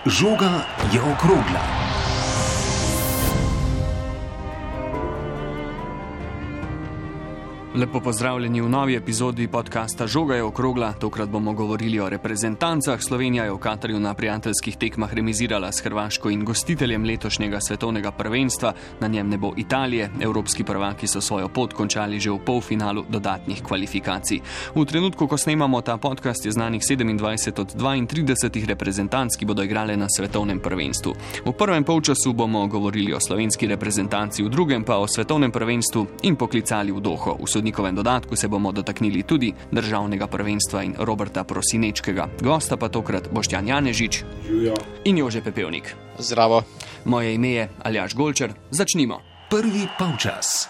Žoga je okrogla. Lepo pozdravljeni v novi epizodi podcasta Žoga je okrogla. Tokrat bomo govorili o reprezentancah. Slovenija je v Katarju na prijateljskih tekmah remizirala s Hrvaško in gostiteljem letošnjega svetovnega prvenstva. Na njem ne bo Italije. Evropski prvaki so svojo pot končali že v polfinalu dodatnih kvalifikacij. V trenutku, ko snemamo ta podcast, je znanih 27 od 32 reprezentanc, ki bodo igrale na svetovnem prvenstvu. V prvem polčasu bomo govorili o slovenski reprezentanci, v drugem pa o svetovnem prvenstvu in poklicali v Doho. V sodnikovem dodatku se bomo dotaknili tudi državnega prvenstva in Roberta Prosinečkega. Gosta pa tokrat Boštjan Janežič in Jože Pepevnik. Zdravo. Moje ime je Aljaž Golčer. Začnimo. Prvi polčas.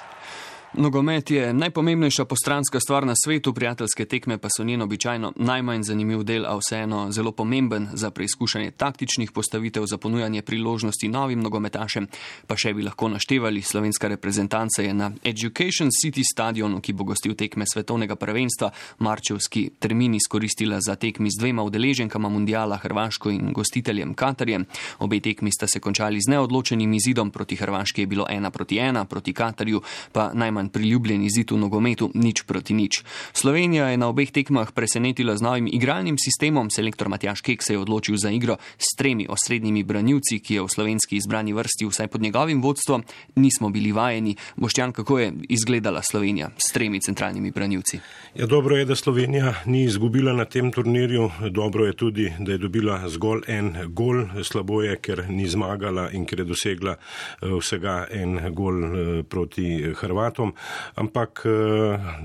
Nogomet je najpomembnejša postranska stvar na svetu, prijateljske tekme pa so njen običajno najmanj zanimiv del, a vseeno zelo pomemben za preizkušanje taktičnih postavitev, za ponujanje priložnosti novim nogometašem. Pa še bi lahko naštevali, slovenska reprezentanca je na Education City stadionu, ki bo gostil tekme svetovnega prvenstva, marčevski termin izkoristila za tekmi z dvema udeleženkama mundiala, Hrvaško in gostiteljem Katarjem. Obe tekmi sta se končali z neodločenim izidom, proti Hrvaški je bilo 1-1, proti Katarju pa najmanj priljubljen izid v nogometu 0-0. Slovenija je na obeh tekmah presenetila z novim igralnim sistemom. Selektor Matjaž Kek se je odločil za igro s 3 osrednjimi branilci, ki je v slovenski izbrani vrsti vsaj pod njegovim vodstvom nismo bili vajeni. Boštjan, kako je izgledala Slovenija s 3 centralnimi branilci? Ja, dobro je, da Slovenija ni izgubila na tem turnirju. Dobro je tudi, da je dobila zgolj en gol. Slabo je, ker ni zmagala in ker je dosegla vsega en gol proti Hrvatom. Ampak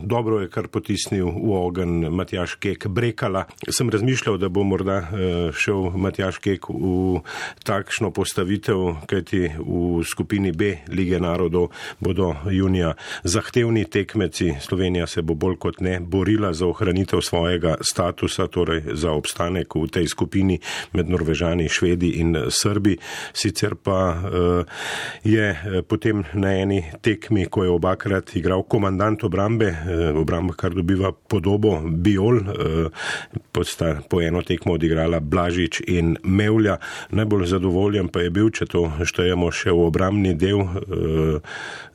dobro je kar potisnil v ogenj Matjaž Kek Brekala. Sem razmišljal, da bo morda šel Matjaž Kek v takšno postavitev, kajti v skupini B Lige narodov bodo junija zahtevni tekmeci. Slovenija se bo bolj kot ne borila za ohranitev svojega statusa, torej za obstanek v tej skupini med Norvežani, Švedi in Srbi. Sicer pa je potem na eni tekmi, ko je obakrat igral komandant obrambe, kar dobiva podobo Bijol, sta po eno tekmo odigrala Blažič in Mevlja. Najbolj zadovoljen pa je bil, če to štejemo še v obrambni del,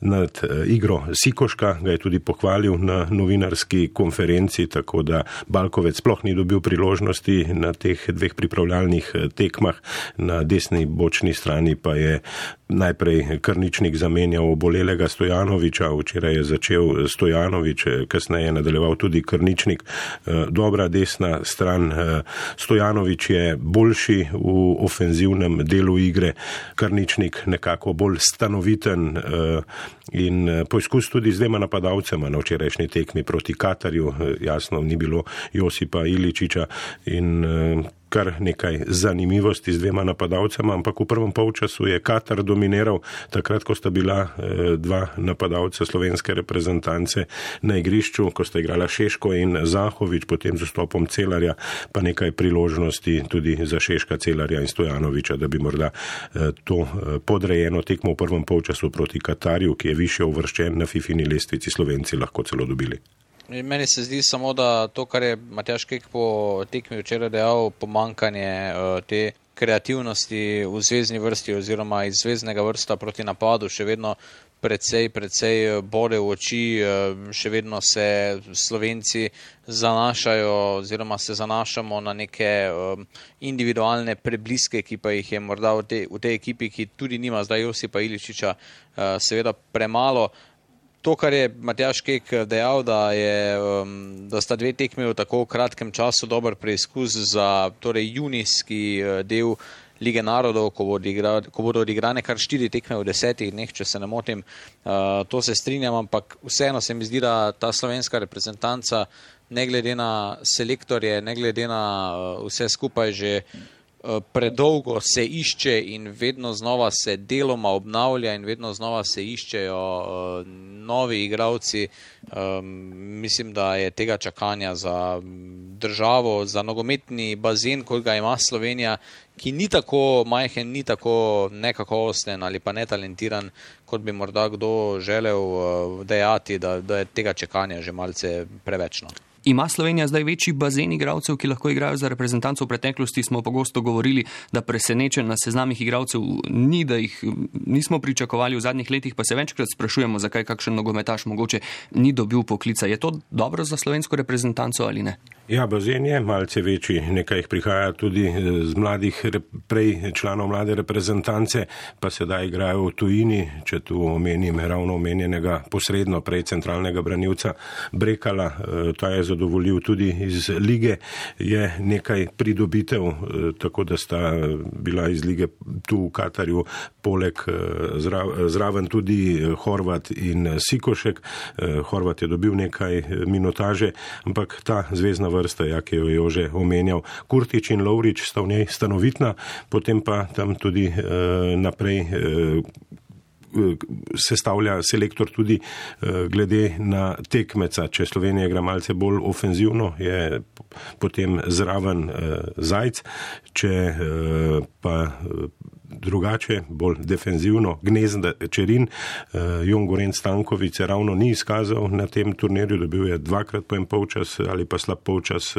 nad igro Sikoška, ga je tudi pohvalil na novinarski konferenci, tako da Balkovec sploh ni dobil priložnosti na teh 2 pripravljalnih tekmah. Na desni bočni strani pa je najprej Krničnik zamenjal obolelega Stojanoviča, včeraj je začel Stojanovič, kasneje je nadaljeval tudi Krničnik. Dobra desna stran, Stojanovič je boljši v ofenzivnem delu igre, Krničnik nekako bolj stanoviten in poizkus tudi z 2 napadalcema na včerajšnji tekmi proti Katarju. Jasno, ni bilo Josipa Iličiča in kar nekaj zanimivosti z 2 napadalcema, ampak v prvem polčasu je Katar dominiral, takrat, ko sta bila 2 napadalca slovenske reprezentance na igrišču, ko sta igrala Šeško in Zahovič, potem z vstopom Celarja, pa nekaj priložnosti tudi za Šeška, Celarja in Stojanoviča, da bi morda to podrejeno tekmo v prvem polčasu proti Katarju, ki je višje uvrščen na FIFIni lestvici, Slovenci lahko celo dobili. Meni se zdi samo, da to, kar je Matjaž Kek po tekmi včeraj dejal, pomanjkanje te kreativnosti v zvezni vrsti oziroma iz zveznega vrsta proti napadu še vedno precej bode v oči, še vedno se Slovenci zanašajo oziroma se zanašamo na neke individualne prebliske, ki pa jih je morda v tej ekipi, ki tudi nima zdaj Josipa Iličiča, seveda premalo. To, kar je Matjaž Kek dejal, da sta 2 tekmi v tako kratkem času dober preizkus za junijski del Lige narodov, ko bodo odigrane kar 4 tekme v 10 dneh, če se ne motim, to se strinjam, ampak vseeno se mi zdi, da ta slovenska reprezentanca, ne glede na selektorje, ne glede na vse skupaj že predolgo se išče in vedno znova se deloma obnavlja in vedno znova se iščejo novi igralci. Mislim, da je tega čakanja za državo, za nogometni bazen, kot ga ima Slovenija, ki ni tako majhen, ni tako nekakovosten ali pa netalentiran, kot bi morda kdo želel dejati, da je tega čakanja že malce prevečno. Ima Slovenija zdaj večji bazen igralcev, ki lahko igrajo za reprezentanco? V preteklosti smo pogosto govorili, da presenečen na seznamih igralcev ni, da jih nismo pričakovali v zadnjih letih, pa se večkrat sprašujemo, zakaj kakšen nogometaš mogoče ni dobil poklica. Je to dobro za slovensko reprezentanco ali ne? Ja, bazen je malce večji, nekaj jih prihaja tudi z mladih, prej članov mlade reprezentance, pa sedaj igrajo v tujini, če tu omenim ravno omenjenega posredno prej centralnega branilca Brekala, ta je zadovoljil tudi iz lige, je nekaj pridobitev, tako da sta bila iz lige tu v Katarju poleg zraven tudi Horvat in Sikošek. Horvat je dobil nekaj minutaže, ampak ta zvezdna vrsta, ki jo je Jože omenjal, Kurtič in Lovrič sta v njej stanovitna, potem pa tam tudi naprej sestavlja selektor tudi glede na tekmeca. Če Slovenija igra malce bolj ofenzivno, je potem zraven Zajc, če pa drugače, bolj defenzivno, Gnezda Čerin, Jon Gorenc Stanković se ravno ni izkazal na tem turnirju, dobil je 2krat po en polčas ali pa slab polčas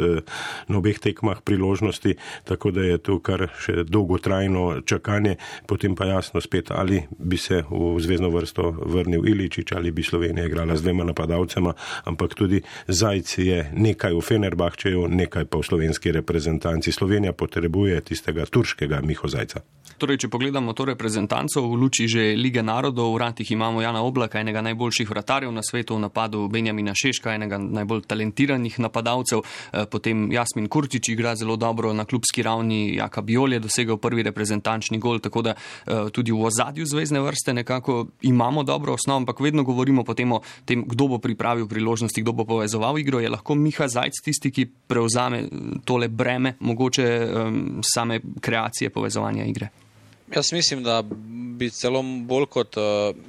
na obeh tekmah priložnosti, tako da je tu kar še dolgotrajno čakanje, potem pa jasno spet, ali bi se v zvezdno vrsto vrnil Iličić, ali bi Slovenija igrala z dvema napadalcema, ampak tudi Zajc je nekaj v Fenerbahčeju, nekaj pa v slovenski reprezentanci. Slovenija potrebuje tistega turškega Miho Zajca. Torej, če pogledamo to reprezentanco v luči že Lige narodov, v vratih imamo Jana Oblaka, enega najboljših vratarjev na svetu, v napadu Benjamina Šeška, enega najbolj talentiranih napadalcev, potem Jasmin Kurtić igra zelo dobro na klubski ravni, Jaka Bijol je dosegel prvi reprezentančni gol, tako da tudi v ozadju zvezne vrste nekako imamo dobro osnovo, ampak vedno govorimo potem o tem, kdo bo pripravil priložnosti, kdo bo povezoval igro. Je lahko Miha Zajc tisti, ki prevzame tole breme, mogoče same kreacije povezovanja igre? Jaz mislim, da bi celo bolj kot,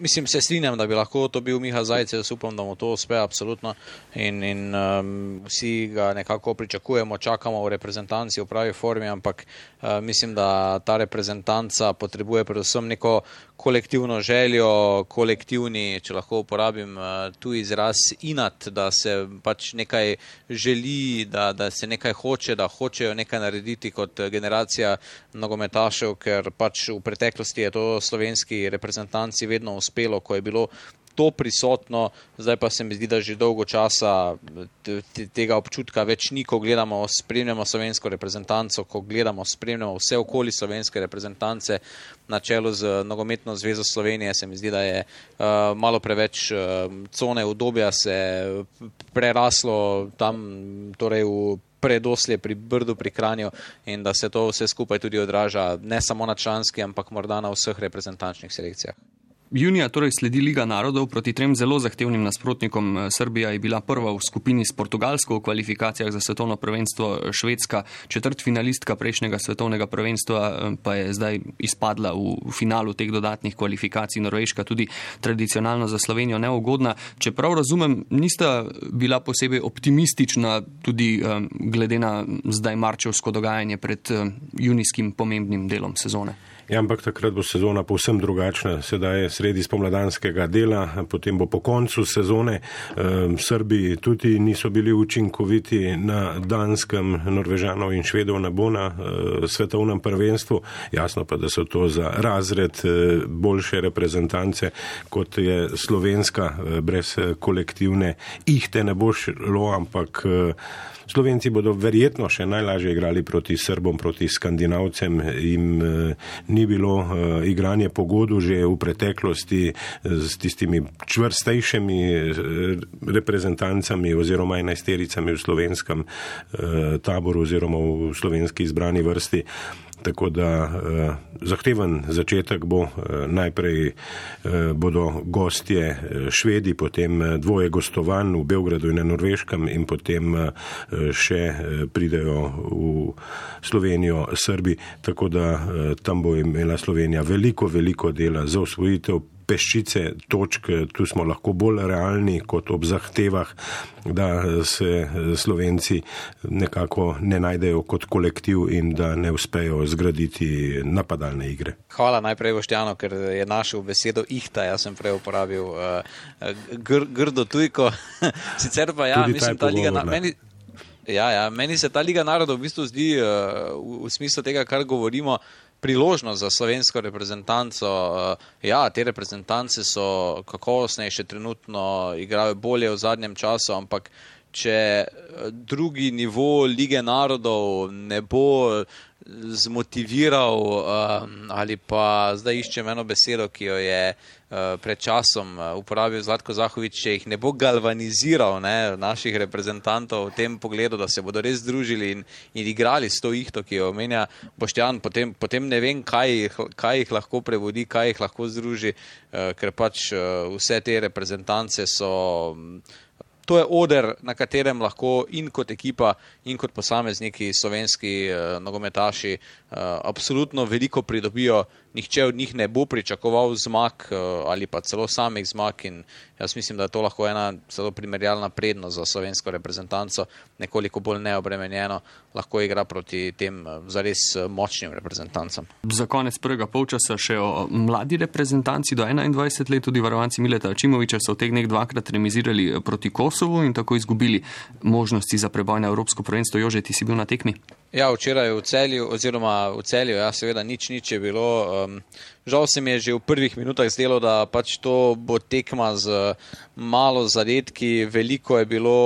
se strinjam, da bi lahko to bil Miha Zajc, jaz upam, da mu to uspe absolutno in vsi ga nekako pričakujemo, čakamo v reprezentanci v pravi formi, ampak mislim, da ta reprezentanca potrebuje predvsem neko kolektivno željo, kolektivni, če lahko uporabim tu izraz, inat, da se pač nekaj želi, da se nekaj hoče, da hočejo nekaj narediti kot generacija nogometašev, ker pač v preteklosti je to slovenski reprezentanci vedno uspelo, ko je bilo to prisotno, zdaj pa se mi zdi, da že dolgo časa tega občutka več ni, ko gledamo, spremljamo slovensko reprezentanco, ko gledamo, spremljamo vse okoli slovenske reprezentance na čelu z Nogometno zvezo Slovenije, se mi zdi, da je malo preveč cone udobja se preraslo tam, torej v predoslje pri Brdu pri Kranju in da se to vse skupaj tudi odraža ne samo na članski, ampak morda na vseh reprezentančnih selekcijah. Junija torej sledi Liga narodov proti trem zelo zahtevnim nasprotnikom. Srbija je bila prva v skupini s Portugalsko v kvalifikacijah za svetovno prvenstvo, Švedska četrtfinalistka prejšnjega svetovnega prvenstva pa je zdaj izpadla v finalu teh dodatnih kvalifikacij. Norveška tudi tradicionalno za Slovenijo neugodna. Če prav razumem, nista bila posebej optimistična tudi glede na zdaj marčevsko dogajanje pred junijskim pomembnim delom sezone. Ja, ampak takrat bo sezona povsem drugačna. Sedaj je sredi spomladanskega dela, potem bo po koncu sezone. Srbi tudi niso bili učinkoviti na Danskem, Norvežanov in Švedov ne bo na svetovnem prvenstvu. Jasno pa, da so to za razred boljše reprezentance, kot je slovenska, brez kolektivne ihte ne bo šlo, ampak Slovenci bodo verjetno še najlažje igrali proti Srbom, proti Skandinavcem. Jim ni bilo igranje po godu že v preteklosti s tistimi čvrstejšimi reprezentancami oziroma enajstericami v slovenskem taboru oziroma v slovenski izbrani vrsti. Tako da zahteven začetek bo, najprej bodo gostje Švedi, potem dvoje gostovanj v Beogradu in na Norveškem in potem še pridejo v Slovenijo Srbi, tako da tam bo imela Slovenija veliko dela za osvojitev peščice točk. Tu smo lahko bolj realni kot ob zahtevah, da se Slovenci nekako ne najdejo kot kolektiv in da ne uspejo zgraditi napadalne igre. Hvala najprej Boštjanu, ker je našel besedo ihta, jaz sem prej uporabil grdo tujko. Sicer pa ja, tudi mislim, ta liga Ja, meni se ta Liga narodov v bistvu zdi v smislu tega, kar govorimo, priložnost za slovensko reprezentanco. Ja, te reprezentance so kakovostnejše, trenutno igrajo bolje v zadnjem času, ampak če drugi nivo Lige narodov ne bo zmotiviral ali pa zdaj iščem eno besedo, ki jo je pred časom uporabil Zlatko Zahovič, če jih ne bo galvaniziral naših reprezentantov v tem pogledu, da se bodo res združili in igrali s to ihto, ki jo omenja Boštjan, potem ne vem, kaj jih lahko prevodi, kaj jih lahko združi, ker pač vse te reprezentance so... To je oder, na katerem lahko in kot ekipa in kot posamezniki slovenski nogometaši absolutno veliko pridobijo. Nihče od njih ne bo pričakoval zmag ali pa celo samih zmag in jaz mislim, da je to lahko ena celo primerjalna prednost za slovensko reprezentanco, nekoliko bolj neobremenjeno, lahko igra proti tem zares močnim reprezentancam. Za konec prvega polčasa še o mladi reprezentanci do 21 let, tudi varovanci Mileta Ačimoviča so v teh dneh dvakrat remizirali proti Kosovu in tako izgubili možnosti za preboj na Evropsko prvenstvo. Jože, ti si bil na tekmi? Ja, včeraj v Celju, ja, seveda nič je bilo. Žal se mi je že v prvih minutah zdelo, da pač to bo tekma z malo zadetki, veliko je bilo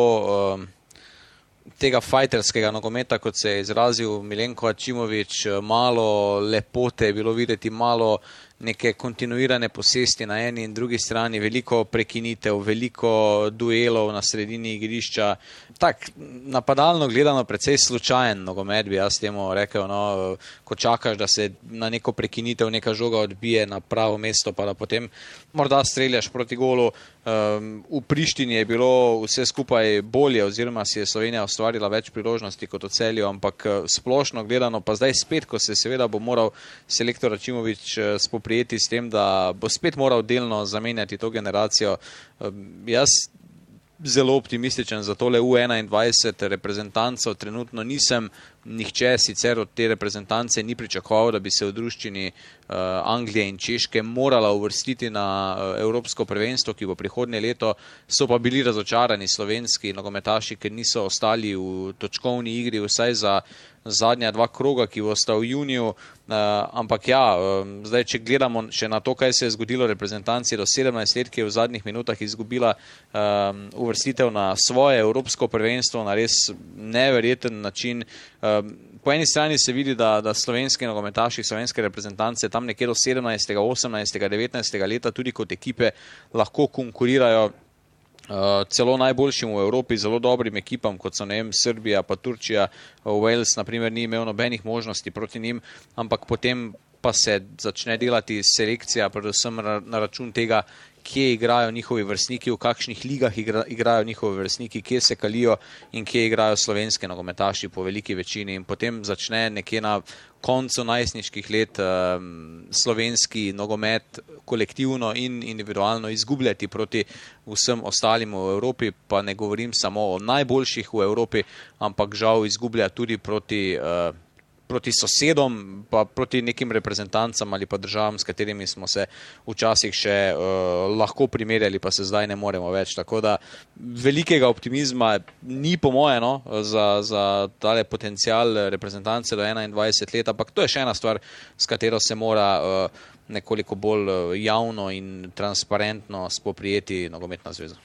tega fajterskega nogometa, kot se je izrazil Milenko Ačimovič, malo lepote je bilo videti, malo neke kontinuirane posesti na eni in drugi strani, veliko prekinitev, veliko duelov na sredini igrišča. Tak, napadalno gledano precej slučajen nogomet, bi jaz temu rekel, ko čakaš, da se na neko prekinitev neka žoga odbije na pravo mesto, pa da potem morda streljaš proti golu. V Prištini je bilo vse skupaj bolje, oziroma si je Slovenija ustvarila več priložnosti kot v Celju, ampak splošno gledano, pa zdaj spet, ko se seveda bo moral selektor Ačimovič spoprijeti s tem, da bo spet moral delno zamenjati to generacijo. Jaz zelo optimističen za tole U21 reprezentancov, trenutno nisem, nihče sicer od te reprezentance ni pričakoval, da bi se v druščini Anglije in Češke morala uvrstiti na Evropsko prvenstvo, ki bo prihodnje leto, so pa bili razočarani slovenski nogometaši, ker niso ostali v točkovni igri, vsaj za zadnja dva kroga, ki bosta v juniju, ampak ja, zdaj, če gledamo še na to, kaj se je zgodilo reprezentanci do 17 let, ki je v zadnjih minutah izgubila uvrstitev na svoje Evropsko prvenstvo na res neverjeten način. Po eni strani se vidi, da slovenski nogometaši, slovenske reprezentance tam nekje do 17., 18., 19. leta tudi kot ekipe lahko konkurirajo celo najboljšim v Evropi, zelo dobrim ekipam, kot so Srbija pa Turčija. Wales naprimer ni imel nobenih možnosti proti njim, ampak potem pa se začne delati selekcija, predvsem na račun tega, kje igrajo njihovi vrstniki, v kakšnih ligah igrajo njihovi vrstniki, kje se kalijo in kje igrajo slovenske nogometaši po veliki večini. In potem začne nekje na koncu najstniških let slovenski nogomet kolektivno in individualno izgubljati proti vsem ostalim v Evropi, pa ne govorim samo o najboljših v Evropi, ampak žal izgublja tudi proti sosedom, pa proti nekim reprezentancam ali pa državam, s katerimi smo se včasih še lahko primerjali, pa se zdaj ne moremo več. Tako da velikega optimizma ni po moje za tale potencial reprezentance do 21 let, ampak to je še ena stvar, s katero se mora nekoliko bolj javno in transparentno spoprijeti nogometna zveza.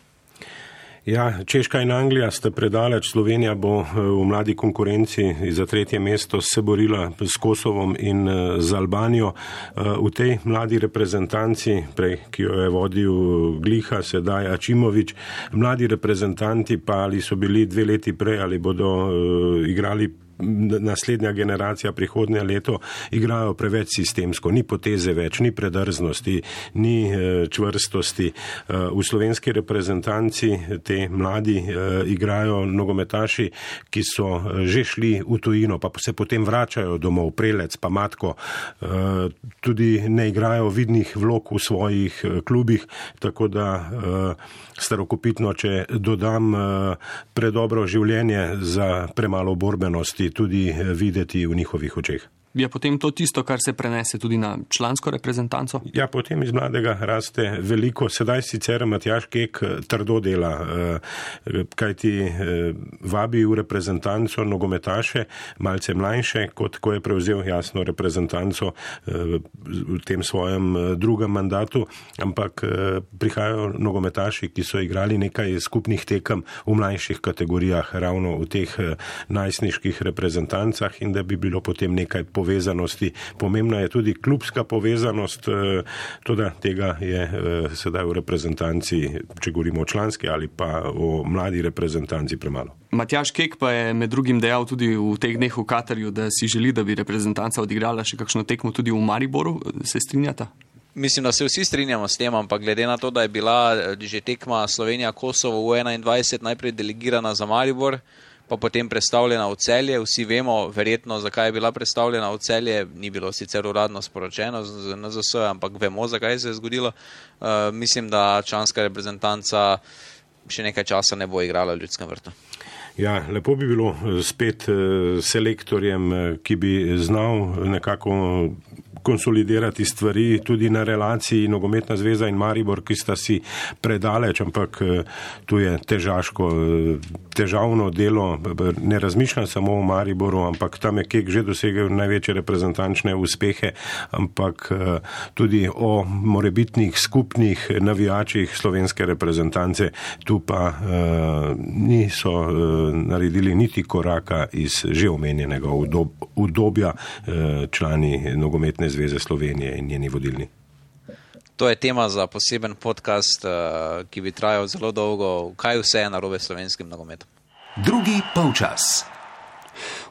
Ja, Češka in Anglija sta predaleč, Slovenija bo v mladi konkurenci za 3. mesto se borila s Kosovom in z Albanijo. V tej mladi reprezentanci, ki jo je vodil Gliha, sedaj Ačimovič, mladi reprezentanti pa ali so bili 2 leti prej ali bodo igrali naslednja generacija prihodnje leto, igrajo preveč sistemsko, ni poteze več, ni predrznosti, ni čvrstosti. V slovenski reprezentanci te mladi igrajo nogometaši, ki so že šli v tujino, pa se potem vračajo domov, Prelec pa Matko, tudi ne igrajo vidnih vlog v svojih klubih, tako da starokopitno, če dodam, predobro življenje za premalo borbenosti tudi videti v njihovih očeh. Je potem to tisto, kar se prenese tudi na člansko reprezentanco? Ja, potem iz mladega raste veliko. Sedaj sicer Matjaž Kek trdo dela, kajti vabi v reprezentanco nogometaše, malce mlajše, kot ko je prevzel jasno reprezentanco v tem svojem drugem mandatu, ampak prihajajo nogometaši, ki so igrali nekaj skupnih tekem v mlajših kategorijah, ravno v teh najstniških reprezentancah, in da bi bilo potem nekaj povezanosti. Pomembna je tudi klubska povezanost, toda tega je sedaj v reprezentanci, če govorimo o članski ali pa o mladi reprezentanci, premalo. Matjaž Kek pa je med drugim dejal tudi v teh dneh v Katarju, da si želi, da bi reprezentanca odigrala še kakšno tekmo tudi v Mariboru. Se strinjata? Mislim, da se vsi strinjamo s tem, ampak glede na to, da je bila že tekma Slovenija-Kosovo v 21 najprej delegirana za Maribor, pa potem predstavljena v Celje. Vsi vemo verjetno, zakaj je bila predstavljena v Celje. Ni bilo sicer uradno sporočeno z NZS, ampak vemo, zakaj se je zgodilo. Mislim, da članska reprezentanca še nekaj časa ne bo igrala v Ljudskem vrtu. Ja, lepo bi bilo spet selektorjem, ki bi znal nekako konsolidirati stvari tudi na relaciji Nogometna zveza in Maribor, ki sta si predaleč, ampak tu je težavno delo. Ne razmišljam samo o Mariboru, ampak tam je Kek že dosegel največje reprezentančne uspehe, ampak tudi o morebitnih skupnih navijačih slovenske reprezentance. Tu pa niso naredili niti koraka iz že omenjenega udobja člani Nogometne zveze Slovenije in njeni vodilni. To je tema za poseben podcast, ki bi trajal zelo dolgo. Kaj vse je narobe s slovenskim nogometom? Drugi polčas.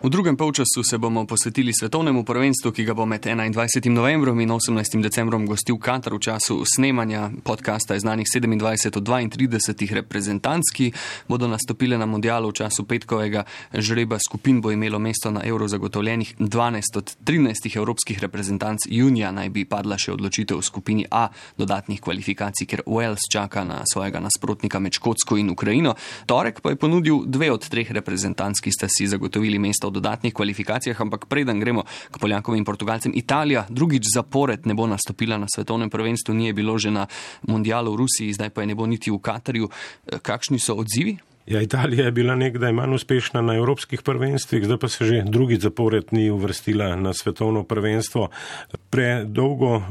V drugem polčasu se bomo posvetili svetovnemu prvenstvu, ki ga bo med 21. novembrom in 18. decembrom gostil Katar. V času snemanja podcasta je znanih 27 od 32 reprezentanc, ki bodo nastopile na mundialu. V času petkovega žreba skupin bo imelo mesto na Euro zagotovljenih 12 od 13 evropskih reprezentanc. Junija naj bi padla še odločitev v skupini A dodatnih kvalifikacij, ker Wales čaka na svojega nasprotnika med Škotsko in Ukrajino. Torek pa je ponudil 2 od 3 reprezentanc, ki sta si zagotovili mesto v dodatnih kvalifikacijah, ampak preden gremo k Poljakom in Portugalcem, Italija drugič zapored ne bo nastopila na svetovnem prvenstvu, ni je bilo že na mundialu v Rusiji, zdaj pa je ne bo niti v Katarju. Kakšni so odzivi? Ja, Italija je bila nekdaj manj uspešna na evropskih prvenstvih, zdaj pa se že drugič zapored ni uvrstila na svetovno prvenstvo. Predolgo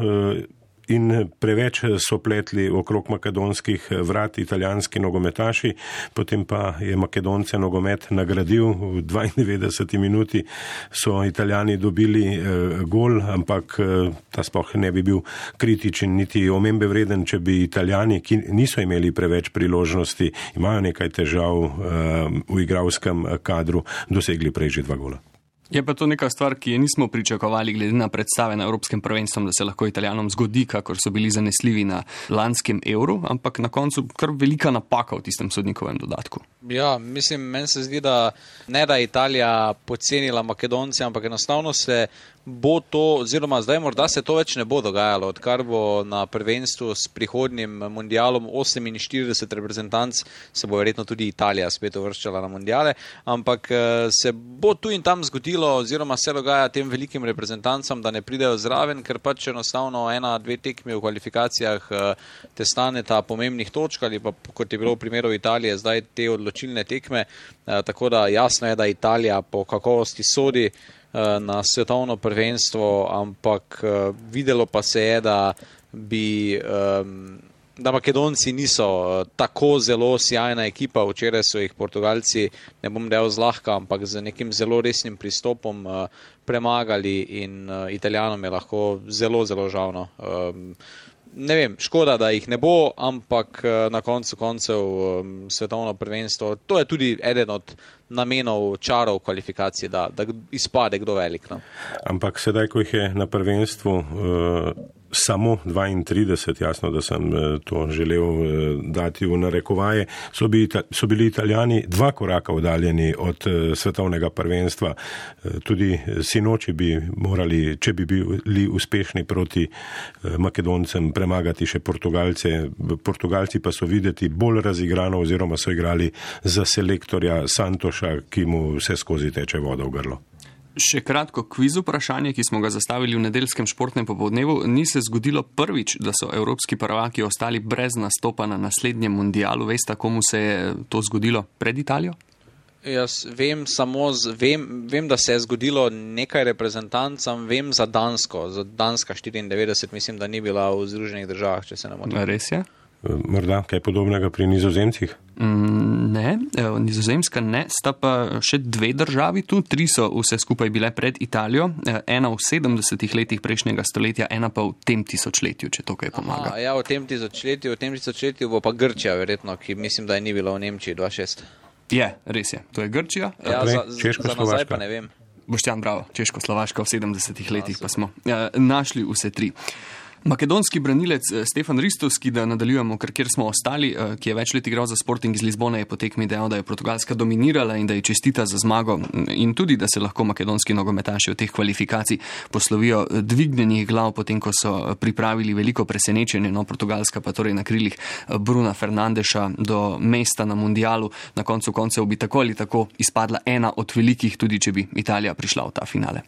in preveč so pletli okrog makedonskih vrat italijanski nogometaši, potem pa je Makedonce nogomet nagradil. V 92 minuti so Italijani dobili gol, ampak ta sploh ne bi bil kritičen niti omembe vreden, če bi Italijani, ki niso imeli preveč priložnosti, imajo nekaj težav v igralskem kadru, dosegli prej že 2 gola. Je pa to neka stvar, ki je nismo pričakovali glede na predstave na Evropskem prvenstvu, da se lahko Italijanom zgodi, kakor so bili zanesljivi na lanskem Euru, ampak na koncu kar velika napaka v tistem sodnikovem dodatku. Ja, mislim, meni se zdi, da ne da Italija podcenila Makedonce, ampak enostavno se bo to, oziroma zdaj morda se to več ne bo dogajalo, odkar bo na prvenstvu s prihodnjim mundialom 48 reprezentanc, se bo verjetno tudi Italija spet uvrščala na mundiale, ampak se bo tu in tam zgodilo, oziroma se dogaja tem velikim reprezentancam, da ne pridejo zraven, ker pač enostavno 1-2 tekmi v kvalifikacijah te staneta pomembnih točk, ali pa kot je bilo v primeru Italije, zdaj te odločilne tekme, tako da jasno je, da Italija po kakovosti sodi na svetovno prvenstvo, ampak videlo pa se je, da Makedonci niso tako zelo sjajna ekipa. Včeraj so jih Portugalci, ne bom dejal zlahka, ampak z nekim zelo resnim pristopom premagali in Italijanom je lahko zelo, zelo žalno. Ne vem, škoda, da jih ne bo, ampak na koncu koncev svetovno prvenstvo, to je tudi eden od namenov čarov kvalifikacije, da izpade kdo velik. No? Ampak sedaj, ko jih je na prvenstvu samo 32, jasno, da sem to želel dati v narekovaje, so bili Italijani 2 koraka oddaljeni od svetovnega prvenstva. Tudi sinoči bi morali, če bi bili uspešni proti Makedoncem, premagati še Portugalce. Portugalci pa so videti bolj razigrano, oziroma so igrali za selektorja Santoša, ki mu vse skozi teče voda v grlo. Še kratko kviz vprašanje, ki smo ga zastavili v nedeljskem športnem popoldnevu. Ni se zgodilo prvič, da so evropski prvaki ostali brez nastopa na naslednjem mundialu. Veste, komu se je to zgodilo pred Italijo? Jaz vem vem, da se je zgodilo nekaj reprezentancam, vem za Dansko. Za Danska 94, mislim, da ni bila v Združenih državah, če se ne motim. Res je? Morda kaj podobnega pri Nizozemcih? Ne, Nizozemska ne, sta pa še 2 državi tu, 3 so vse skupaj bile pred Italijo, ena v 70 letih prejšnjega stoletja, ena pa v tem tisočletju, če to kaj pomaga. Ja, v tem tisočletju bo pa Grčija verjetno, ki mislim, da je ni bila v Nemčiji 2006. Je, res je, to je Grčija. Ja, za nazaj pa ne vem. Boštjan, bravo, Češko-Slovaška v 70 letih pa smo našli vse 3. Makedonski branilec Stefan Ristovski, da nadaljujemo, kjer smo ostali, ki je več let igral za Sporting iz Lizbone, je po tekmi dejal, da je Portugalska dominirala in da je čestita za zmago in tudi, da se lahko makedonski nogometaši v teh kvalifikacij poslovijo dvignjenih glav, potem ko so pripravili veliko presenečenje, no Portugalska pa torej na krilih Bruna Fernandeša do mesta na mundialu, na koncu koncev bi tako ali tako izpadla ena od velikih, tudi če bi Italija prišla v ta finale.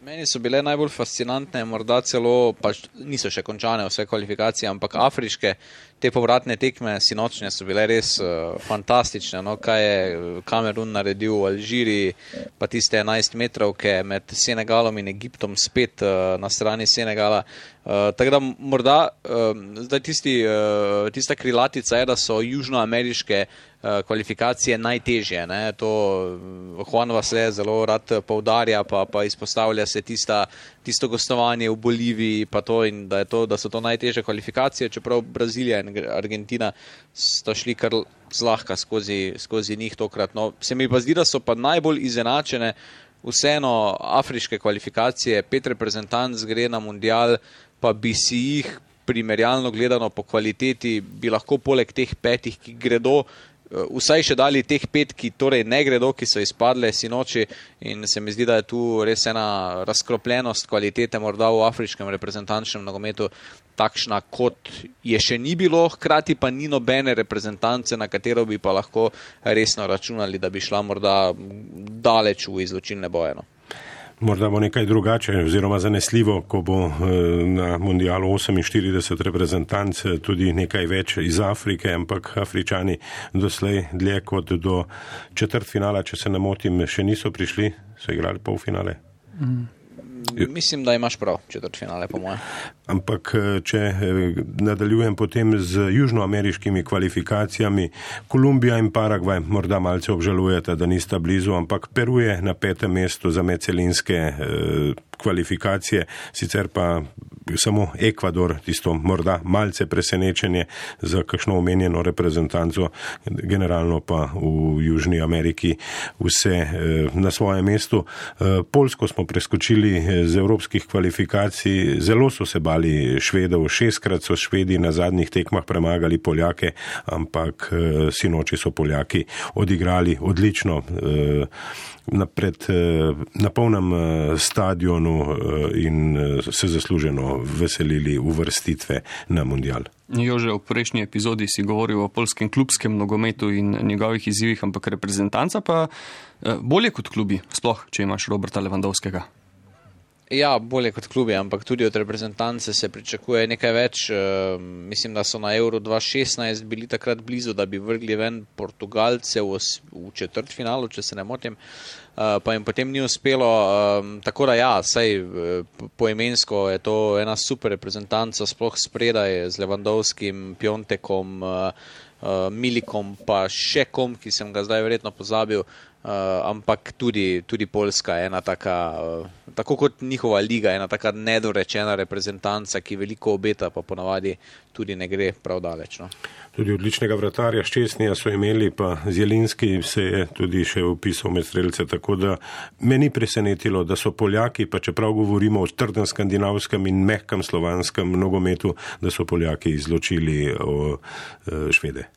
Meni so bile najbolj fascinantne, morda celo, pa niso še končane vse kvalifikacije, ampak afriške, te povratne tekme sinočnje so bile res fantastične. No, kaj je Kamerun naredil v Alžiriji, pa tiste 11 metrovke med Senegalom in Egiptom spet na strani Senegala. Tako da morda zdaj tista krilatica je, da so južnoameriške kvalifikacije najtežje. Ne? To Juan Vase zelo rad poudarja, pa izpostavlja se tisto gostovanje v Boliviji, pa to in da so to najtežje kvalifikacije, čeprav Brazilija in Argentina sta šli kar zlahka skozi njih tokrat. No, se mi pa zdi, da so pa najbolj izenačene vseeno afriške kvalifikacije. 5 reprezentanc gre na mundial, pa bi si jih primerjalno gledano po kvaliteti, bi lahko poleg teh 5, ki gredo, vsaj še dali teh 5, ki torej ne gredo, ki so izpadle sinoči, in se mi zdi, da je tu res ena razkropljenost kvalitete morda v afriškem reprezentančnem nogometu takšna, kot je še ni bilo, hkrati pa ni nobene reprezentance, na katero bi pa lahko resno računali, da bi šla morda daleč v izločilne boje. No. Morda bo nekaj drugače oziroma zanesljivo, ko bo na mundialu 48 reprezentanc, tudi nekaj več iz Afrike, ampak Afričani doslej dlje kot do četrtfinala, če se ne motim, še niso prišli, so igrali polfinale. Mislim, da imaš prav, četrtfinale po moje. Ampak če nadaljujem potem z južnoameriškimi kvalifikacijami, Kolumbija in Paragvaj morda malce obžalujeta, da nista blizu, ampak Peru je na 5. mestu za medcelinske kvalifikacije, sicer pa samo Ekvador, tisto morda malce presenečenje za kakšno omenjeno reprezentanco, generalno pa v Južni Ameriki vse na svojem mestu. Poljsko smo preskočili z evropskih kvalifikacij, zelo so se bali Švedov, 6-krat so Švedi na zadnjih tekmah premagali Poljake, ampak sinoči so Poljaki odigrali odlično na polnem stadionu in se zasluženo veselili uvrstitve na mundial. Jože, v prejšnji epizodi si govoril o poljskem klubskem nogometu in njegovih izzivih, ampak reprezentanca pa bolje kot klubi, sploh, če imaš Roberta Lewandowskega. Ja, bolje kot klubi, ampak tudi od reprezentance se pričakuje nekaj več. Mislim, da so na Euro 2016 bili takrat blizu, da bi vrgli ven Portugalce v četrtfinalu, če se ne motim, pa jim potem ni uspelo. Tako da ja, saj poimensko je to ena super reprezentanca, sploh spredaj z Lewandowskim, Piontekom, Milikom, pa še kom, ki sem ga zdaj verjetno pozabil. Ampak tudi Poljska je ena taka, tako kot njihova liga, ena taka nedorečena reprezentanca, ki veliko obeta, pa ponavadi tudi ne gre prav daleč. No. Tudi odličnega vratarja Ščesnija so imeli, pa Zjelinski se je tudi še upisal med strelce, tako da me ni presenetilo, da so Poljaki, pa čeprav govorimo o trdem skandinavskem in mehkem slovanskem nogometu, da so Poljaki izločili Švede.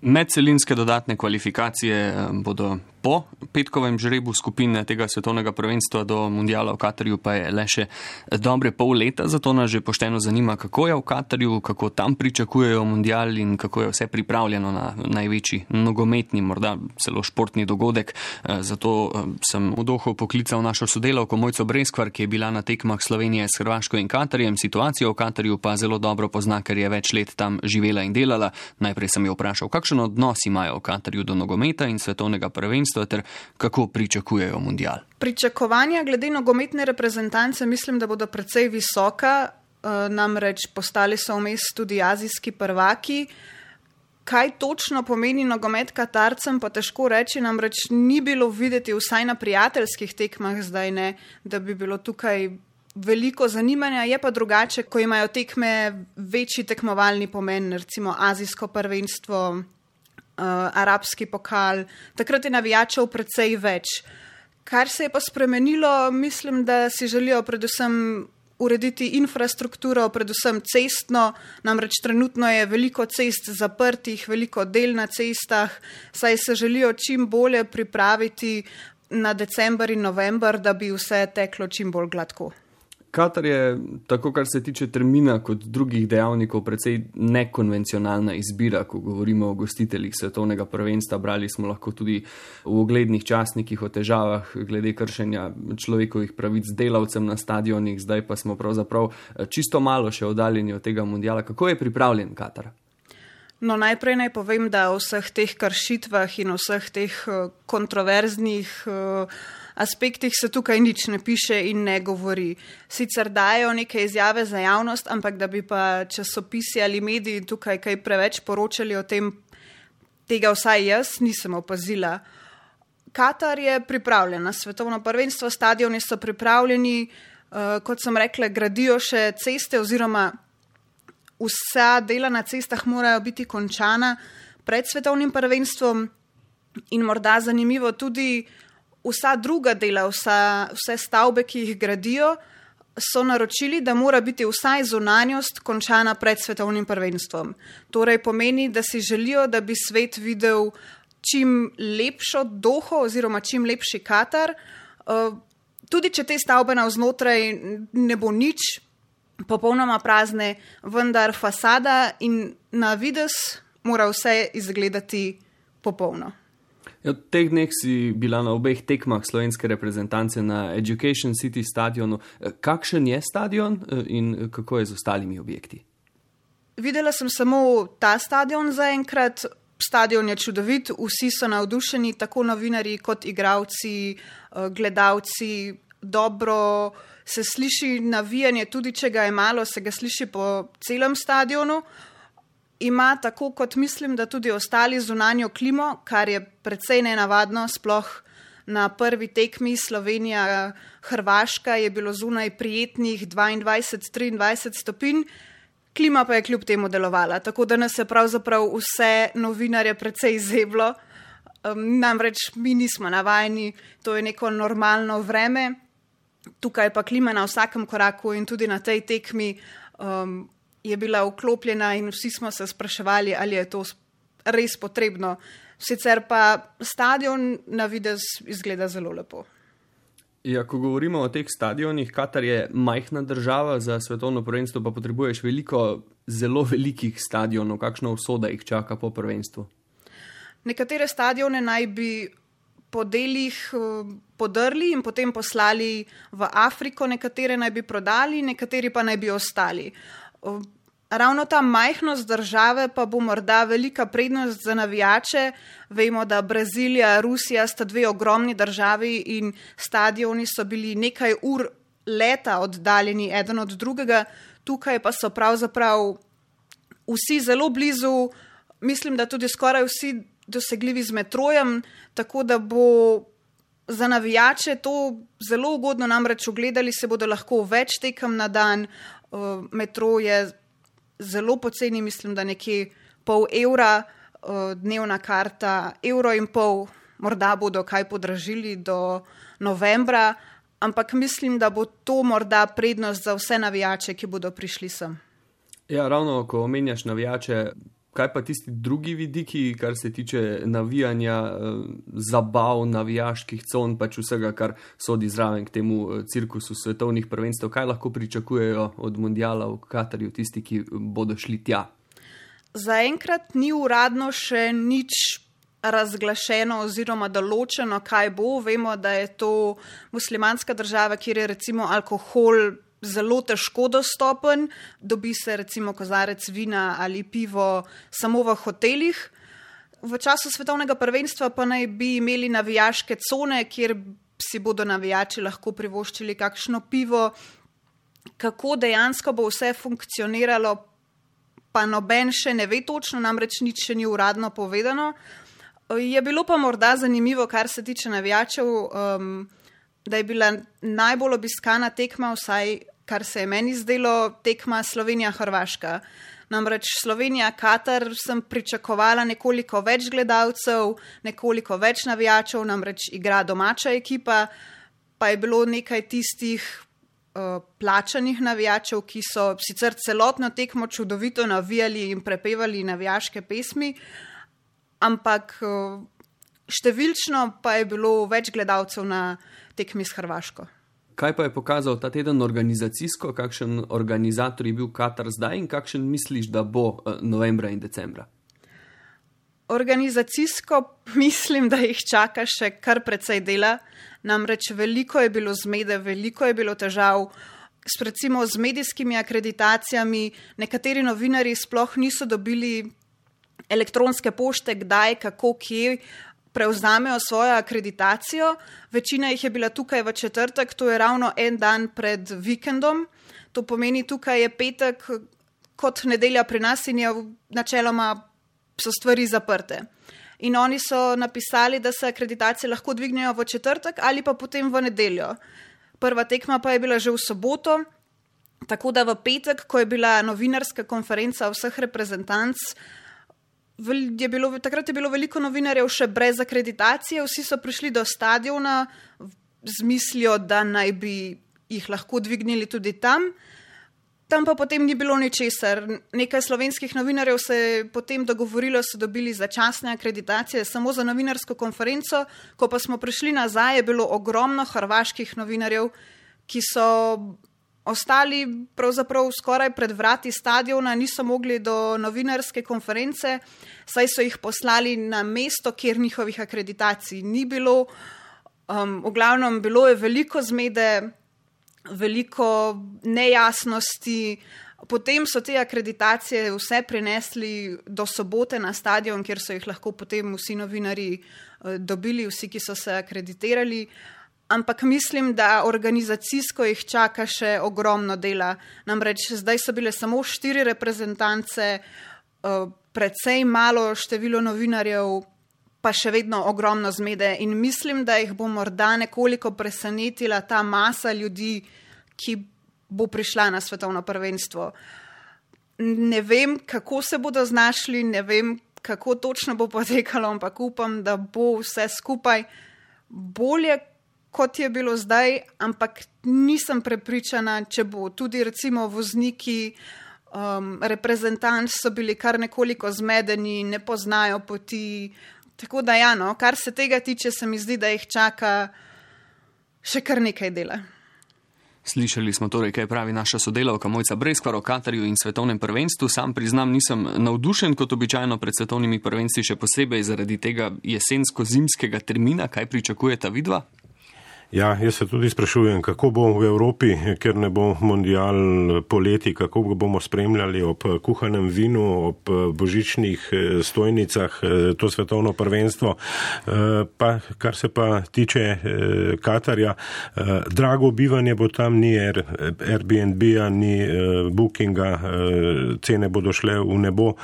Medcelinske dodatne kvalifikacije bodo po petkovem žrebu skupine tega svetovnega prvenstva do mundiala v Katarju pa je le še dobre pol leta, zato nas že pošteno zanima, kako je v Katarju, kako tam pričakujejo mundial in kako je vse pripravljeno na največji nogometni, morda celo športni dogodek. Zato sem v Doho poklical našo sodelavko Mojco Breskvar, ki je bila na tekmah Slovenije s Hrvaško in Katarjem. Situacijo v Katarju pa zelo dobro pozna, ker je več let tam živela in delala. Najprej sem jo vprašal, kakšen odnos imajo v Katarju do nogometa in svetovnega prvenstva ter kako pričakujejo mundial. Pričakovanja glede nogometne reprezentance mislim, da bodo precej visoka, namreč postali so vmes tudi azijski prvaki. Kaj točno pomeni nogomet Katarcem, pa težko reči, namreč ni bilo videti vsaj na prijateljskih tekmah zdaj ne, da bi bilo tukaj veliko zanimanja, je pa drugače, ko imajo tekme večji tekmovalni pomen, recimo azijsko prvenstvo, arabski pokal, takrat je navijačev precej več. Kar se je pa spremenilo, mislim, da si želijo predvsem urediti infrastrukturo, predvsem cestno, namreč trenutno je veliko cest zaprtih, veliko del na cestah, saj se želijo čim bolje pripraviti na december in november, da bi vse teklo čim bolj gladko. Katar je, tako kar se tiče termina kot drugih dejavnikov, precej nekonvencionalna izbira, ko govorimo o gostiteljih svetovnega prvenstva. Brali smo lahko tudi v uglednih časnikih o težavah glede kršenja človekovih pravic delavcem na stadionih, zdaj pa smo pravzaprav čisto malo še oddaljeni od tega mundiala. Kako je pripravljen Katar? No, najprej naj povem, da o vseh teh kršitvah in o vseh teh kontroverznih aspektih se tukaj nič ne piše in ne govori. Sicer dajo neke izjave za javnost, ampak da bi pa časopisi ali mediji tukaj kaj preveč poročali o tem, tega vsaj jaz nisem opazila. Katar je pripravljen na svetovno prvenstvo, stadioni so pripravljeni, kot sem rekla, gradijo še ceste oziroma vsa dela na cestah morajo biti končana pred svetovnim prvenstvom in morda zanimivo tudi vsa druga dela, vse stavbe, ki jih gradijo, so naročili, da mora biti vsaj zunanjost končana pred svetovnim prvenstvom. Torej pomeni, da si želijo, da bi svet videl čim lepšo Doho oziroma čim lepši Katar. Tudi če te stavbe navznotraj ne bo nič, popolnoma prazne, vendar fasada in na videz mora vse izgledati popolno. V teh dneh si bila na obeh tekmah slovenske reprezentance na Education City stadionu. Kakšen je stadion in kako je z ostalimi objekti? Videla sem samo ta stadion zaenkrat. Stadion je čudovit, vsi so navdušeni, tako novinarji kot igralci, gledalci. Dobro se sliši navijanje, tudi če ga je malo, se ga sliši po celem stadionu. Ima tako, kot mislim, da tudi ostali zunanjo klimo, kar je precej nenavadno, sploh na prvi tekmi Slovenija-Hrvaška je bilo zunaj prijetnih 22-23 stopinj, klima pa je kljub temu delovala, tako da nas je pravzaprav vse novinarje precej zeblo. Namreč mi nismo navajeni, to je neko normalno vreme, tukaj pa klima na vsakem koraku in tudi na tej tekmi je bila vklopljena in vsi smo se spraševali, ali je to res potrebno. Sicer pa stadion na videz izgleda zelo lepo. Ja, ko govorimo o teh stadionih, Katar je majhna država, za svetovno prvenstvo pa potrebuješ veliko zelo velikih stadionov. Kakšna usoda jih čaka po prvenstvu? Nekatere stadione naj bi po delih podrli in potem poslali v Afriko, nekatere naj bi prodali, nekateri pa naj bi ostali. Ravno ta majhnost države pa bo morda velika prednost za navijače. Vemo, da Brazilija, Rusija sta dve ogromni državi in stadioni so bili nekaj ur leta oddaljeni eden od drugega. Tukaj pa so pravzaprav vsi zelo blizu, mislim, da tudi skoraj vsi dosegljivi z metrojem, tako da bo za navijače to zelo ugodno, namreč ogledali se bodo lahko več tekem na dan. Metro je zelo poceni, mislim, da nekje €0,5, dnevna karta €1,50, morda bodo kaj podražili do novembra, ampak mislim, da bo to morda prednost za vse navijače, ki bodo prišli sem. Ja, ravno ko omenjaš navijače, Kaj pa tisti drugi vidiki, kar se tiče navijanja, zabav, navijaških con, pač vsega, kar sodi zraven k temu cirkusu svetovnih prvenstev? Kaj lahko pričakujejo od mundiala v Katarju tisti, ki bodo šli tja? Zaenkrat ni uradno še nič razglašeno oziroma določeno, kaj bo. Vemo, da je to muslimanska država, kjer je recimo alkohol zelo težko dostopen, dobi se recimo kozarec vina ali pivo samo v hotelih. V času svetovnega prvenstva pa naj bi imeli navijaške cone, kjer si bodo navijači lahko privoščili kakšno pivo. Kako dejansko bo vse funkcioniralo, pa noben še ne ve točno, namreč nič še ni uradno povedano. Je bilo pa morda zanimivo, kar se tiče navijačev, da je bila najbolj obiskana tekma, vsaj kar se je meni zdelo, tekma Slovenija-Hrvaška. Namreč Slovenija-Katar sem pričakovala nekoliko več gledalcev, nekoliko več navijačev, namreč igra domača ekipa, pa je bilo nekaj tistih plačanih navijačev, ki so sicer celotno tekmo čudovito navijali in prepevali navijaške pesmi, ampak številčno pa je bilo več gledalcev na tekmi s Hrvaško. Kaj pa je pokazal ta teden organizacijsko, kakšen organizator je bil Katar zdaj in kakšen misliš, da bo novembra in decembra? Organizacijsko mislim, da jih čaka še kar precej dela, namreč veliko je bilo zmede, veliko je bilo težav, recimo z medijskimi akreditacijami, nekateri novinarji sploh niso dobili elektronske pošte, kdaj, kako, kje prevzamejo svojo akreditacijo. Večina jih je bila tukaj v četrtek, to je ravno en dan pred vikendom. To pomeni, tukaj je petek kot nedelja pri nas in je načeloma so stvari zaprte. In oni so napisali, da se akreditacije lahko dvignejo v četrtek ali pa potem v nedeljo. Prva tekma pa je bila že v soboto, tako da v petek, ko je bila novinarska konferenca vseh reprezentanc, takrat je bilo veliko novinarjev še brez akreditacije, vsi so prišli do stadiona z mislijo, da naj bi jih lahko dvignili tudi tam. Tam pa potem ni bilo ničesar. Nekaj slovenskih novinarjev se je potem dogovorilo, so dobili začasne akreditacije samo za novinarsko konferenco, ko pa smo prišli nazaj, je bilo ogromno hrvaških novinarjev, ki so ostali pravzaprav skoraj pred vrati stadiona, niso mogli do novinarske konference, saj so jih poslali na mesto, kjer njihovih akreditacij ni bilo. V glavnem bilo je veliko zmede, veliko nejasnosti. Potem so te akreditacije vse prinesli do sobote na stadion, kjer so jih lahko potem vsi novinarji dobili, vsi, ki so se akreditirali. Ampak mislim, da organizacijsko jih čaka še ogromno dela. Namreč zdaj so bile samo 4 reprezentance, precej malo število novinarjev, pa še vedno ogromno zmede. In mislim, da jih bo morda nekoliko presenetila ta masa ljudi, ki bo prišla na svetovno prvenstvo. Ne vem, kako se bodo znašli, ne vem, kako točno bo potekalo, ampak upam, da bo vse skupaj bolje, kot je bilo zdaj, ampak nisem prepričana, če bo tudi recimo vozniki, reprezentanti so bili kar nekoliko zmedeni, ne poznajo poti. Tako da ja, no, kar se tega tiče, se mi zdi, da jih čaka še kar nekaj dela. Slišali smo torej, kaj pravi naša sodelavka Mojca Breskvar o Katarju in svetovnem prvenstvu. Sam priznam, nisem navdušen kot običajno pred svetovnimi prvenstvi, še posebej zaradi tega jesensko-zimskega termina. Kaj pričakujeta vidva? Ja, jaz se tudi sprašujem, kako bo v Evropi, ker ne bo mundial poleti, kako ga bomo spremljali ob kuhanem vinu, ob božičnih stojnicah, to svetovno prvenstvo. Pa, kar se pa tiče Katarja, drago bivanje bo tam, ni Airbnb-a, ni Bookinga, cene bodo šle v nebo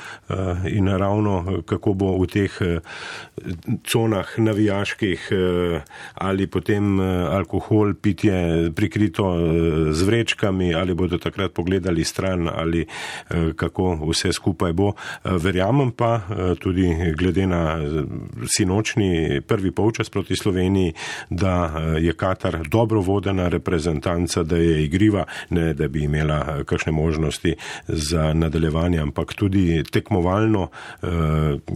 in ravno kako bo v teh conah navijaških ali potem alkohol, pitje prikrito z vrečkami, ali bodo takrat pogledali stran, ali kako vse skupaj bo. Verjamem pa tudi glede na sinočni prvi polčas proti Sloveniji, da je Katar dobro vodena reprezentanca, da je igriva, ne da bi imela kakšne možnosti za nadaljevanje, ampak tudi tekmovalno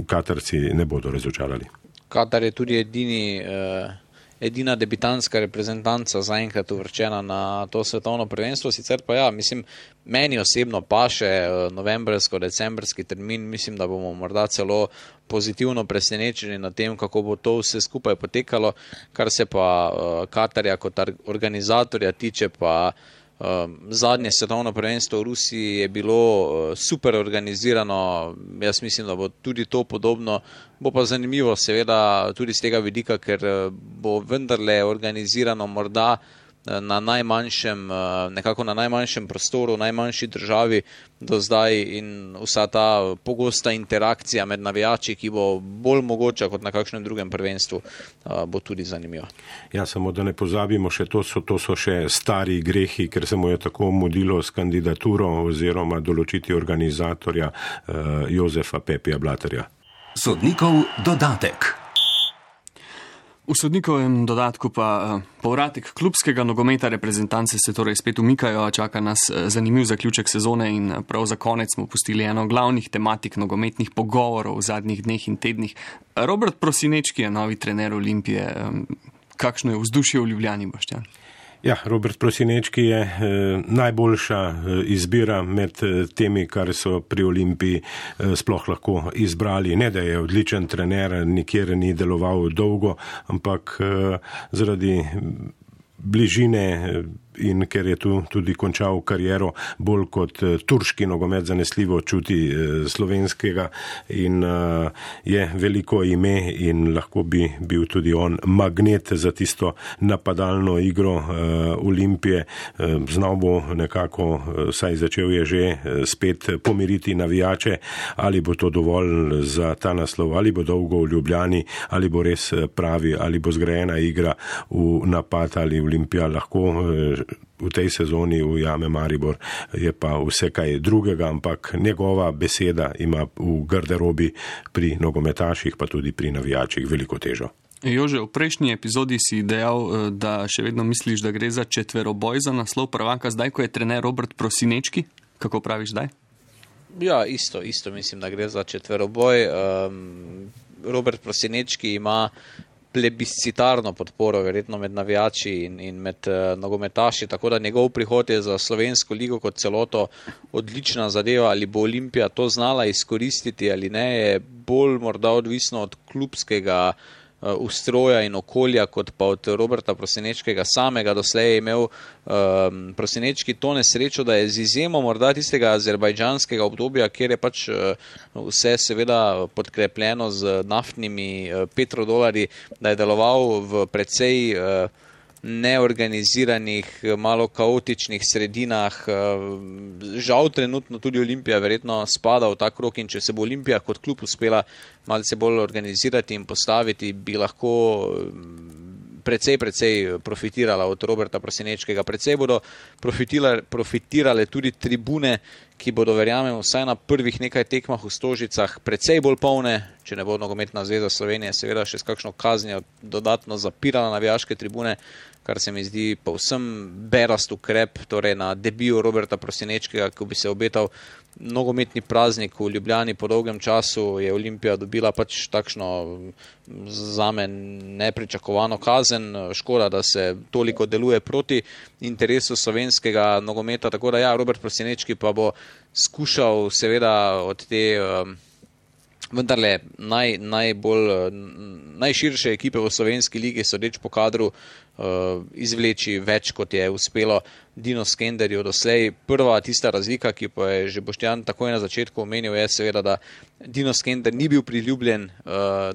Katarci ne bodo razočarali. Katar je tudi edina debitanska reprezentanca zaenkrat uvrščena na to svetovno prvenstvo, sicer pa ja, mislim, meni osebno paše novembrsko-decembrski termin, mislim, da bomo morda celo pozitivno presenečeni na tem, kako bo to vse skupaj potekalo, kar se pa Katarja kot organizatorja tiče, pa zadnje svetovno prvenstvo v Rusiji je bilo super organizirano, jaz mislim, da bo tudi to podobno, bo pa zanimivo seveda tudi z tega vidika, ker bo vendarle organizirano morda na najmanjšem prostoru, najmanjši državi do zdaj in vsa ta pogosta interakcija med navijači, ki bo bolj mogoča kot na kakšnem drugem prvenstvu, bo tudi zanimiva. Ja, samo da ne pozabimo, to so še stari grehi, ker se mu je tako mudilo s kandidaturo oziroma določiti organizatorja Jozefa Pepija Blaterja. Sodnikov dodatek. V sodnikovem dodatku pa povratek klubskega nogometa reprezentance se torej spet umikajo, čaka nas zanimiv zaključek sezone in prav za konec smo pustili eno glavnih tematik nogometnih pogovorov v zadnjih dneh in tednih. Robert Prosinečki je novi trener Olimpije. Kakšno je vzdušje v Ljubljani, Boštjan? Ja, Robert Prosinečki je najboljša izbira med temi, kar so pri Olimpiji sploh lahko izbrali. Ne, da je odličen trener, nikjer ni deloval dolgo, ampak zaradi bližine in ker je tu tudi končal kariero, bolj kot turški nogomet zanesljivo čuti slovenskega in je veliko ime in lahko bi bil tudi on magnet za tisto napadalno igro Olimpije. Znal bo nekako, saj začel je že spet pomiriti navijače, ali bo to dovolj za ta naslov, ali bo dolgo v Ljubljani, ali bo res pravi, ali bo zgrajena igra v napad, ali Olimpija lahko v tej sezoni ujame Maribor, je pa vse kaj drugega, ampak njegova beseda ima v garderobi pri nogometaših, pa tudi pri navijačih veliko težo. Jože, v prejšnji epizodi si dejal, da še vedno misliš, da gre za četveroboj za naslov prvaka, zdaj, ko je trener Robert Prosinečki. Kako praviš zdaj? Ja, isto mislim, da gre za četveroboj. Robert Prosinečki ima plebiscitarno podporo, verjetno med navijači in med nogometaši, tako da njegov prihod je za slovensko ligo kot celoto odlična zadeva, ali bo Olimpija to znala izkoristiti ali ne, je bolj morda odvisno od klubskega ustroja in okolja, kot pa od Roberta Prosinečkega samega. Doslej je imel Prosinečki to nesrečo, da je z izjemo morda tistega azerbajdžanskega obdobja, kjer je pač vse seveda podkrepljeno z naftnimi petrodolarji, da je deloval v precej neorganiziranih, malo kaotičnih sredinah. Žal trenutno tudi Olimpija verjetno spada v ta krog in če se bo Olimpija kot klub uspela malce bolj organizirati in postaviti, bi lahko precej profitirala od Roberta Prosinečkega. Precej bodo profitirale tudi tribune, ki bodo, verjamem, vsaj na prvih nekaj tekmah v Stožicah precej bolj polne, če ne bo Nogometna zveza Slovenije seveda še s kakšno kaznijo dodatno zapirala navijaške tribune, kar se mi zdi povsem berast ukrep, torej na debiju Roberta Prosinečkega, ko bi se obetal nogometni praznik v Ljubljani po dolgem času, je Olimpija dobila pač takšno zame nepričakovano kazen. Škoda, da se toliko deluje proti interesu slovenskega nogometa, tako da ja, Robert Prosinečki pa bo skušal seveda od te vendarle najširše ekipe v slovenski ligi, sodeč po kadru, izvleči več, kot je uspelo Dino Skenderju doslej. Prva tista razlika, ki pa je že Boštjan takoj na začetku omenil, je seveda, da Dino Skender ni bil priljubljen,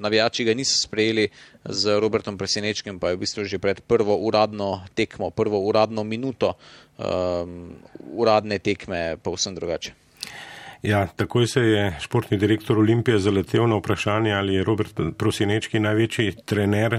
navijači ga niso sprejeli, z Robertom Prosinečkim pa je v bistvu že pred prvo uradno tekmo, prvo uradno minuto uradne tekme povsem drugače. Ja, takoj se je športni direktor Olimpije zaletel na vprašanje, ali je Robert Prosinečki največji trener,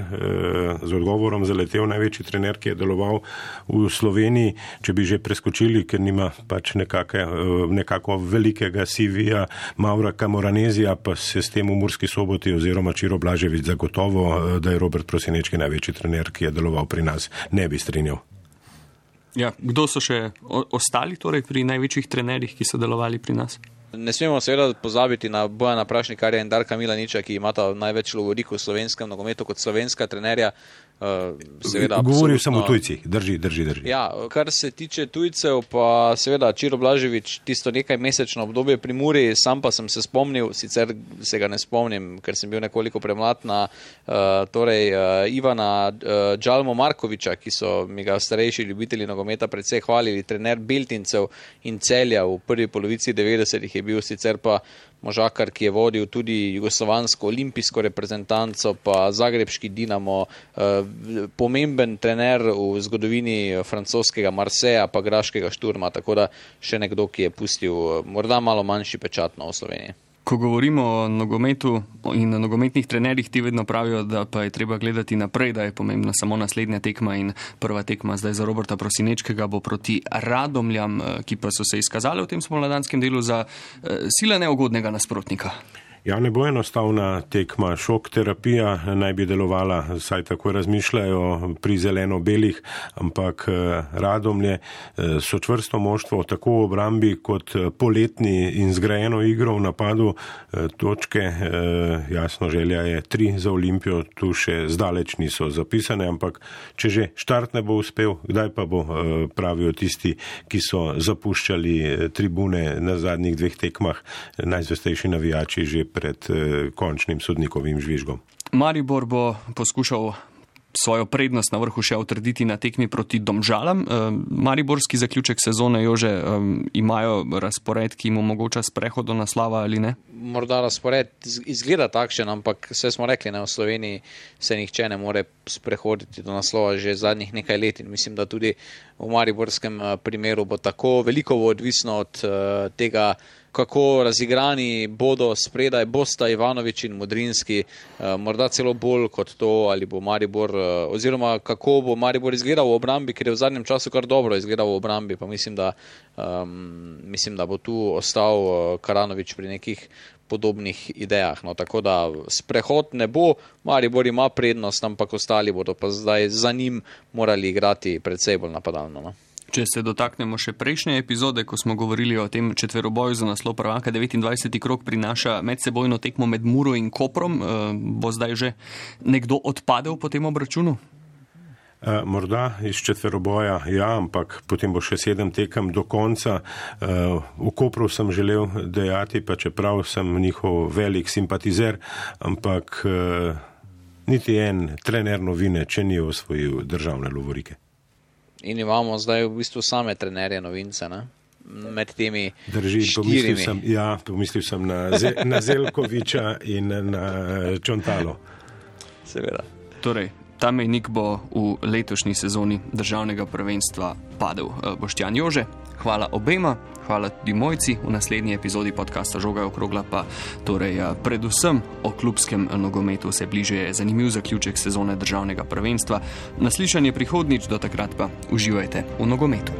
z odgovorom zaletel največji trener, ki je deloval v Sloveniji, če bi že preskočili, ker nima pač nekako velikega CV-ja Maura Camoranezija, pa se s tem v Murski Soboti oziroma Čiro Blažević zagotovo, da je Robert Prosinečki največji trener, ki je deloval pri nas, ne bi strinjal. Ja, kdo so še ostali torej pri največjih trenerjih, ki so delovali pri nas? Ne smemo seveda pozabiti na Bojana Prašnikarja in Darka Milaniča, ki imata največ lovorikov v slovenskem nogometu kot slovenska trenerja. Govoril sem o tujcih, drži. Ja, kar se tiče tujcev, pa seveda Čiro Blažević tisto nekaj mesečno obdobje pri Muri, sam pa sem se spomnil, sicer se ga ne spomnim, ker sem bil nekoliko premlad, na Ivana Džalmo Markoviča, ki so mi ga starejši ljubitelji nogometa predvsej hvalili, trener Beltincev in Celja v prvi polovici 90-ih je bil, sicer pa možakar, ki je vodil tudi jugoslovansko olimpijsko reprezentanco, pa zagrebški Dinamo, pomemben trener v zgodovini francoskega Marseja, pa graškega Šturma, tako da še nekdo, ki je pustil morda malo manjši pečat v Sloveniji. Ko govorimo o nogometu in o nogometnih trenerjih, ti vedno pravijo, da pa je treba gledati naprej, da je pomembna samo naslednja tekma in prva tekma zdaj za Roberta Prosinečkega bo proti Radomljam, ki pa so se izkazali v tem spomladanskem delu za sila neugodnega nasprotnika. Ja, ne bo enostavna tekma, šok terapija naj bi delovala, saj tako razmišljajo pri zeleno-belih, ampak Radomlje so čvrsto moštvo tako v obrambi kot poletni in zgrajeno igro v napadu, točke, jasno želja je 3 za Olimpijo, tu še zdaleč niso zapisane, ampak če že štart ne bo uspel, kdaj pa bo, pravijo tisti, ki so zapuščali tribune na zadnjih 2 tekmah, najzvestejši navijači že pred končnim sodnikovim žvižgom. Maribor bo poskušal svojo prednost na vrhu še utrditi na tekmi proti Domžalam. Mariborski zaključek sezone, Jože, imajo razpored, ki jim omogoča sprehod do naslova ali ne? Morda razpored izgleda takšen, ampak vse smo rekli, v Sloveniji se nihče ne more sprehoditi do naslova že zadnjih nekaj let in mislim, da tudi v mariborskem primeru bo tako. Veliko bo odvisno od tega, kako razigrani bodo spredaj bosta Ivanović in Modrinski, morda celo bolj kot to, ali bo Maribor, oziroma kako bo Maribor izgledal v obrambi, ker je v zadnjem času kar dobro izgledal v obrambi, pa mislim, da bo tu ostal Karanović pri nekih podobnih idejah. No, tako da sprehod ne bo, Maribor ima prednost, ampak ostali bodo pa zdaj za njim morali igrati predvsej bolj napadalno. No. Če se dotaknemo še prejšnje epizode, ko smo govorili o tem četveroboju za naslov prvaka, 29. krog prinaša medsebojno tekmo med Muro in Koprom. Bo zdaj že nekdo odpadel po tem obračunu? Morda iz četveroboja, ja, ampak potem bo še 7 tekem do konca. V Kopru sem želel dejati, pa čeprav sem njihov velik simpatizer, ampak niti en trener novine, če ni osvojil državne lovorike. In imamo zdaj v bistvu same trenerje novince, ne? Med temi 4. Pomislil sem na Zelkoviča in na Čontalo. Seveda. Torej, ta mejnik bo v letošnji sezoni državnega prvenstva padel. Boštjan, Jože, hvala obema, hvala tudi Mojci. V naslednji epizodi podcasta Žoga je okrogla pa torej predvsem o klubskem nogometu se bliže zanimiv zaključek sezone državnega prvenstva. Naslišanje prihodnič, do takrat pa uživajte v nogometu.